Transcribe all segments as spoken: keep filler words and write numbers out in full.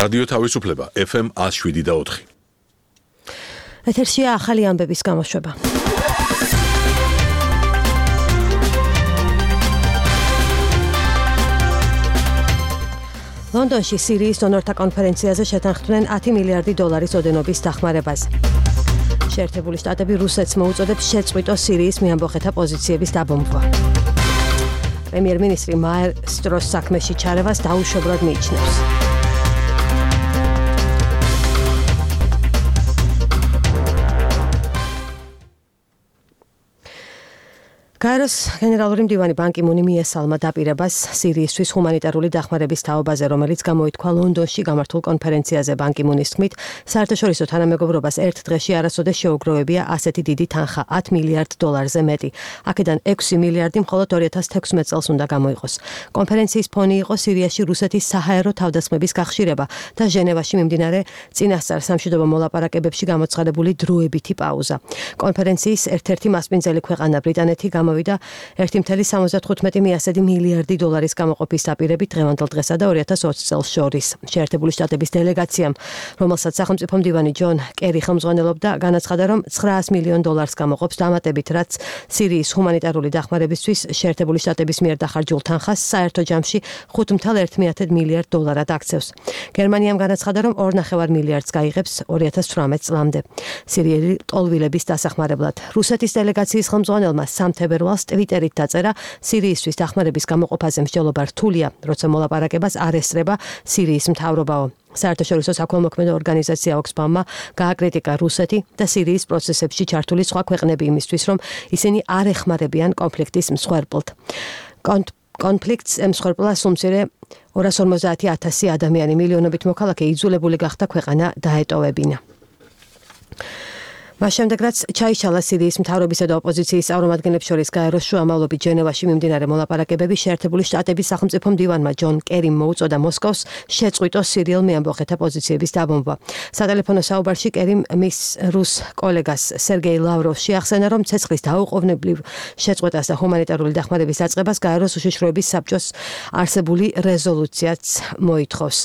რადიო თავისუფლება ეფ ემ one oh seven და four. ეთერშია ახალი ამბების გამოშვება. ლონდონში სირიის დონორთა კონფერენციაზე შეთანხმდნენ ten მილიარდი დოლარის ოდენობის დახმარებას. შეერთებული შტატები რუსეთს მოუწოდებს შეწყვიტოს სირიის მეამბოხეთა პოზიციების დაბომბვა. პრემიერ-მინისტრი მაესტროს საქმეში ჩარევას დაუშვებლად მიიჩნევს. გაეროს გენერალური მდივანი ბან კი მუნი მიესალმა დაპირებას სირიისთვის ჰუმანიტარული დახმარების თაობაზე, რომელიც გამოითქვა ლონდონში გამართულ კონფერენციაზე. ბან კი მუნის თქმით, საერთაშორისო თანამეგობრობას ერთ დღეში არასოდეს შეუგროვებია ასეთი დიდი თანხა ten მილიარდ დოლარზე მეტი. აქედან six მილიარდი მხოლოდ two thousand sixteen წელს უნდა გამოიყოს. კონფერენციის ფონი იყო სირიაში რუსეთის საჰაერო თავდასხმების გახშირება და ჟენევაში მიმდინარე წინასწარ სამშვიდობო მოლაპარაკებებში გამოცხადებული დროებითი პაუზა. კონფერენციის ერთ-ერთი მასპინძელი ქვეყანა ბრიტანეთი გამოვიდა one point seventy-five მილიარდი დოლარის გამოყოფის დაპირებით დღევანდელ დღესა და two thousand twenty წელს შორის. შეერთებული შტატების დელეგაციამ, რომელსაც სახელმწიფო მდივანი ჯონ კერი ხელმძღვანელობდა, განაცხადა, რომ nine hundred მილიონ დოლარს გამოყოფს დამატებით, რაც სირიის ჰუმანიტარული დახმარებისთვის შეერთებული შტატების მიერ დახარჯულ თანხას საერთო ჯამში five point one მილიარდ დოლარად აქცევს. გერმანიამ განაცხადა, რომ two point five მილიარდს გაიღებს two thousand eighteen წლამდე. სირიელი ტოლვილების დასახმარებლად. რუსეთის დელეგაციის ხელმძღვანელმა სამთებერვალს ტვიტერით დაწერა, სირიისთვის დახმარების გამოყოფაზე მსჯელობა რთულია, როცა მოლაპარაკებას არ ესწრება სირიის მთავრობაო. საერთაშორისო საქველმოქმედო ორგანიზაცია ოქსფამმა გააკრიტიკა რუსეთი და სირიის პროცესებში ჩართული სხვა ქვეყნები იმისთვის, რომ ისინი არ ეხმარებიან კონფლიქტის მსხვერპლთ. კონფლიქტს ემსხვერპლა სულ მცირე two hundred fifty thousand ადამიანი, მილიონობით მოქალაქე იძულებული გახდა ქვეყანა დაეტოვებინა. მას შემდეგ, რაც ჩაიშალა სირიის მთავრობისა და ოპოზიციის წარმომადგენლებს შორის გაეროს შუამავლობით ჟენევაში მიმდინარე მოლაპარაკებები, შეერთებული შტატების სახელმწიფო მდივანმა ჯონ კერიმ მოუწოდა მოსკოვს შეწყვიტოს სირიელ მეამბოხეთა პოზიციების დაბომბვა. სატელეფონო საუბარში კერიმ მის რუს კოლეგას სერგეი ლავროვს შეახსენა, რომ ცეცხლის დაუყოვნებლივ შეწყვეტას და ჰუმანიტარული დახმარების დაწყებას გაეროს უშიშროების საბჭოს არსებული რეზოლუციაც მოითხოვს.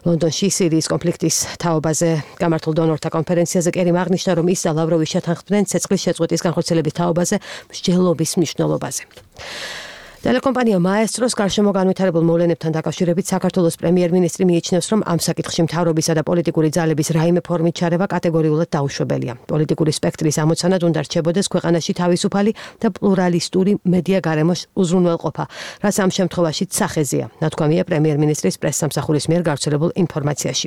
ლონდონში სირიის კონფლიქტის თაობაზე გამართულ დონორთა კონფერენციაზე კერიმ აღნიშნა, რომ ის ლავროვი შეთანხმდნენ ცეცხლის შეწყვეტის განხორციელების თაობაზე მსჯელობის მნიშვნელობაზე. ტელეკომპანია მაესტროს გარშემო განვითარებულ მოვლენებთან დაკავშირებით საქართველოს პრემიერ-მინისტრი მიიჩნევს, რომ ამ საკითხში მთავრობისა და პოლიტიკური ძალების რაიმე ფორმით ჩარევა კატეგორიულად დაუშვებელია. პოლიტიკური სპექტრის ამოცანად უნდა რჩებოდეს ქვეყანაში თავისუფალი და პლურალისტური მედია გარემოს უზრუნველყოფა, რაც ამ შემთხვევაშიც სახეზეა, ნათქვამია პრემიერ-მინისტრის პრესსამსახურის მიერ გავრცელებულ ინფორმაციაში.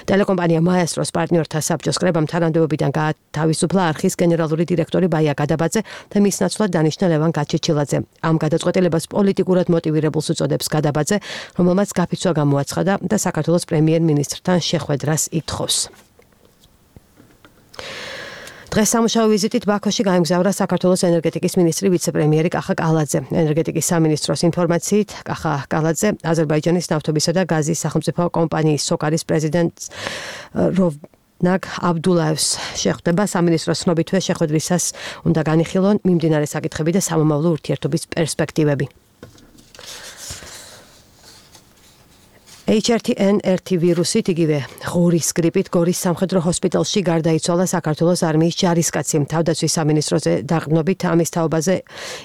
ტელეკომპანია მაესტროს პარტნიორთა საბჭოს კრებამ თანამდებობიდან გაათავისუფლა არხის გენერალური დირექტორი ბაია გადაბაძე და მის ნაცვლად დანიშნა ლევან გაჩეჩილაძე. ამ გადაწყვეტილებას პოლიტიკურად მოტივირებულს უწოდებს გადაბაძე, რომელმაც გაფიცვა გამოაცხადა და საქართველოს პრემიერ-მინისტრთან შეხვედრას ითხოვს. დღეს სამუშაო ვიზიტით ბაქოში გაემგზავრა საქართველოს ენერგეტიკის მინისტრი ვიცე-პრემიერი კახა კალაძე. ენერგეტიკის სამინისტროს ინფორმაციით, კახა კალაძე აზერბაიჯანის ნავთობისა და გაზის სახელმწიფო კომპანიის სოკარის პრეზიდენტს ნაგ აბდულაევს შეხვდება. სამინისტროს ცნობითვე შეხვედრისას უნდა განიხილონ მიმდინარე საკითხები და სამომავლო ურთიერთობის პერსპექტივები. H R T N R T ვირუსით, იგივე ღორის გრიპით გორის სამხედრო ჰოსპიტალში გარდაიცვალა საქართველოს არმიის ჯარისკაცი. თავდაცვის სამინისტროზე დაყრდნობით ამის თაობაზე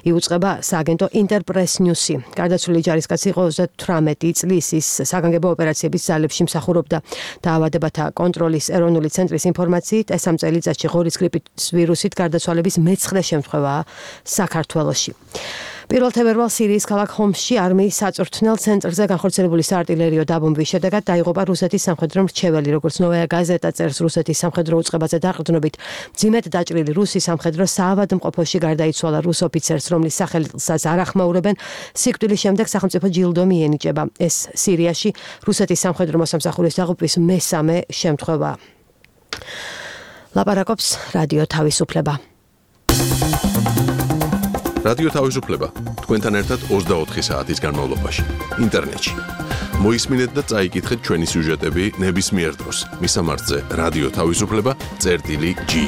იუწყება სააგენტო ინტერპრეს ნიუსი. გარდაცვლილი ჯარისკაცი იყო thirty წლის, ის საგანგებო ოპერაციების ძალებში მსახურობდა. დაავადებათა კონტროლის ეროვნული ცენტრის ინფორმაციით, ეს ამ წელიწადში ღორის გრიპის ვირუსით გარდაცვალების მეცხრე შემთხვევაა საქართველოში. პირველ თებერვალს სირიის ქალაქ ჰომსში არმიის საწვრთნელ ცენტრზე განხორციელებული საარტილერიო დაბომბვის შედეგად დაიღუპა რუსეთის სამხედრო მრჩეველი, როგორც ნოვაია გაზეტა წერს. რუსეთის სამხედრო უწყებაზე დაყრდნობით მძიმედ დაჭრილი რუსი სამხედრო საავადმყოფოში გარდაიცვალა რუს ოფიცერს, რომლის სახელსაც არ ახმაურებენ. სიკვდილის შემდეგ სახელმწიფო ჯილდო მიენიჭება. ეს სირიაში რუსეთის სამხედრო მოსამსახურის დაღუპვის მესამე შემთხვევაა. ლაპარაკობს რადიო თავისუფლება. რადიო თავისუფლება თქვენთან ერთად ოცდაოთხი საათის განმავლობაში ინტერნეტში. მოისმინეთ და წაიკითხეთ ჩვენი სიუჟეტები ნებისმიერ დროს. მისამართზე რადიო თავისუფლება წერტილი ჯი.